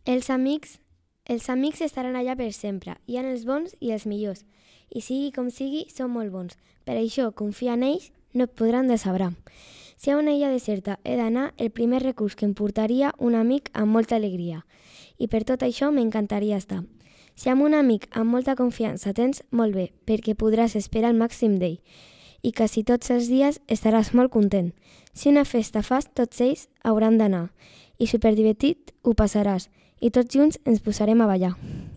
Els amics estaran allà per sempre. Hi ha els bons i els millors. I sigui com sigui, són molt bons. Per això, confia en ells, no et podran decebrar. Si a una illa deserta he d'anar, el primer recurs que em portaria un amic amb molta alegria. I per tot això m'encantaria estar. Si amb un amic amb molta confiança tens, molt bé, perquè podràs esperar el màxim d'ell. I quasi tots els dies estaràs molt content. Si una festa fas, tots ells hauran d'anar. I superdivertit ho passaràs. I tots junts ens posarem a ballar.